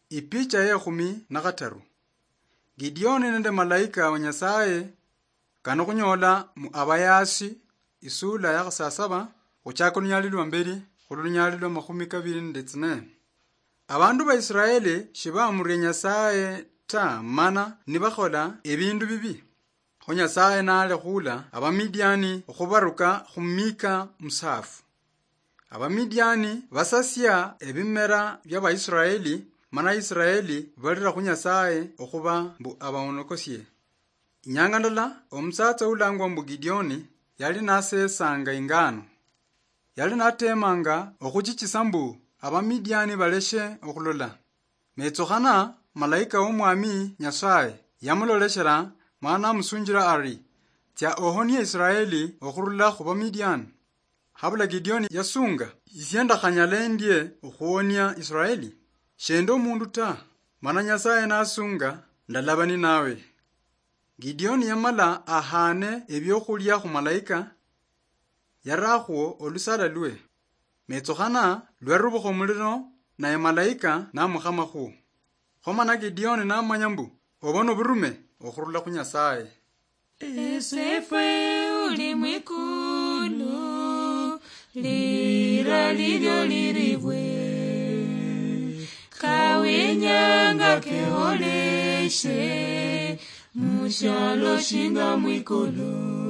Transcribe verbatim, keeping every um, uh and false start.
Ipicha ye khumi na khataru. Gideoni nende malaika wa Nyasaye. Kano khunyola mu Abayaasi, isula ya khasasaba, khuchaka lunyali lwa mbeli, khuli lunyali lwa makhumi kabili nende tsine. Abandu ba Israeli shibamuria Nyasaye ta, mana nibakhola ebindu bibi. Kho Nyasaye nalekhula Abamidiani okhubaruka khu mika musaafu. Abamidiani basasia ebimera bya Baisraeli, mana Israeli balira khu Nyasaye okhuba mbu abaonokosie. Inyanga ndala, omusatsa ulangwa mbu Gideoni yali nasesanga ingano. Yali natemanga okhuchichisa mbu Abamidiani baleshe okhulola. Metsukhana, malaika w'Omwami Nyasaye yamuloleshera, mana amusunjira ari, "Tsia ohonie Israeli okhurula khu Bamidiani." Habula Gideoni yasunga, "Isie ndakhanyala endie okhuonia Israeli? Shendi omundu ta, mana Nyasaye nasunga, ndalaba ninawe." Gideoni yamala ahane ebiokhulia khu malaika, yarakhwo olusala lwe. Metsukhana lwarubukha omuliro, naye malaika namukhamakhu. Khomana Gideoni namanya mbu obo noburume okhurula khu Nyasaye. Esefwe uli mwikulu, lira lilyo liribwe, kawinyanga keholeshe, mushialo shinga mwikulu.